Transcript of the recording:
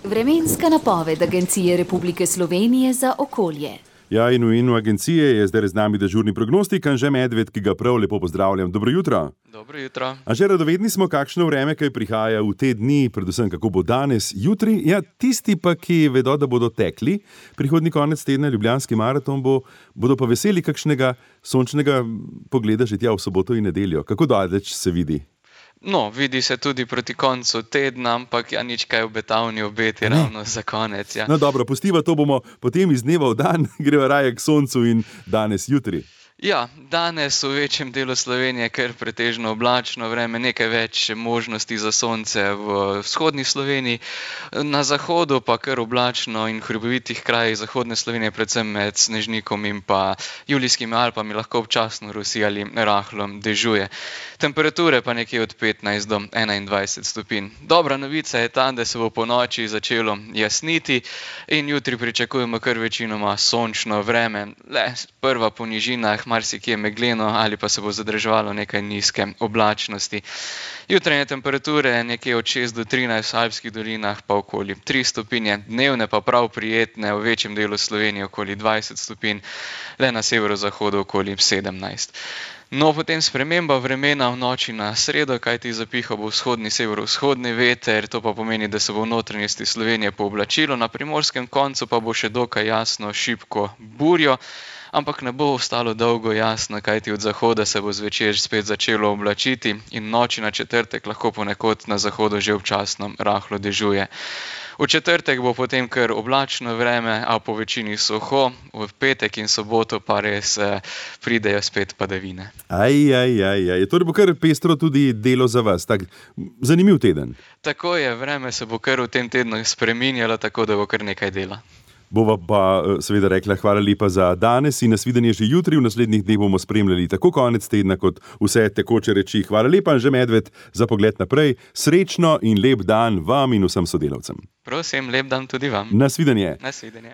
Vremenska napoved Agencije Republike Slovenije za okolje. Ja, in v imenu agencije je zdaj z nami dežurni prognostik Anže Medved, ki ga prav lepo pozdravljam. Dobro jutro. Dobro jutro. Anže, radovedni smo, kakšno vreme, kaj prihaja v te dni, predvsem kako bo danes, jutri. Ja, tisti pa, ki vedo, da bodo tekli, prihodnji konec tedna Ljubljanski maraton bodo pa veseli kakšnega sončnega pogleda že tja v soboto in nedeljo. Kako daleč se vidi? No, vidi se tudi proti koncu tedna, ampak ja, nič kaj obetavni obeti ravno za konec. Ja. No dobro, pustiva to bomo potem iz dneva v dan, greva raje k soncu in danes, jutri. Ja, danes v večjem delu Slovenije kar pretežno oblačno vreme, nekaj več možnosti za sonce v vzhodni Sloveniji, na zahodu pa kar oblačno in v hribovitih krajih zahodne Slovenije, predvsem med Snežnikom in pa Julijskimi Alpami, lahko občasno rosi ali rahlo dežuje. Temperature pa nekje od 15 do 21 stopinj. Dobra novica je ta, da se bo po noči začelo jasniti in jutri pričakujemo kar večinoma sončno vreme. Le prva po nižinah, marsikje megleno ali pa se bo zadrževalo nekaj nizke oblačnosti. Jutranje temperature nekje od 6 do 13, v alpskih dolinah pa okoli 3 stopinje, dnevne pa prav prijetne, v večjem delu Slovenije okoli 20 stopinj, le na severozahodu okoli 17. No, potem sprememba vremena v noči na sredo, kajti zapihal bo vzhodni severovzhodni veter, to pa pomeni, da se bo v notranjosti Slovenije pooblačilo, na primorskem koncu pa bo še dokaj jasno šibko burjo, ampak ne bo ostalo dolgo jasno, kajti od zahoda se bo zvečer spet začelo oblačiti in noči na četrtek lahko ponekod na zahodu že občasno rahlo dežuje. V četrtek bo potem kar oblačno vreme, a po večini suho, v petek in soboto pa res pridejo spet padavine. Torej bo kar pestro tudi delo za vas, tak zanimiv teden. Tako je, vreme se bo kar v tem tednu spreminjalo, tako da bo kar nekaj dela. Bova pa seveda rekla hvala lepa za danes in nasvidenje že jutri. V naslednjih dneh bomo spremljali tako konec tedna kot vse tekoče reči. Hvala lepa, Anže Medved, za pogled naprej. Srečno in lep dan vam in vsem sodelavcem. Prosim, lep dan tudi vam. Nasvidenje. Nasvidenje.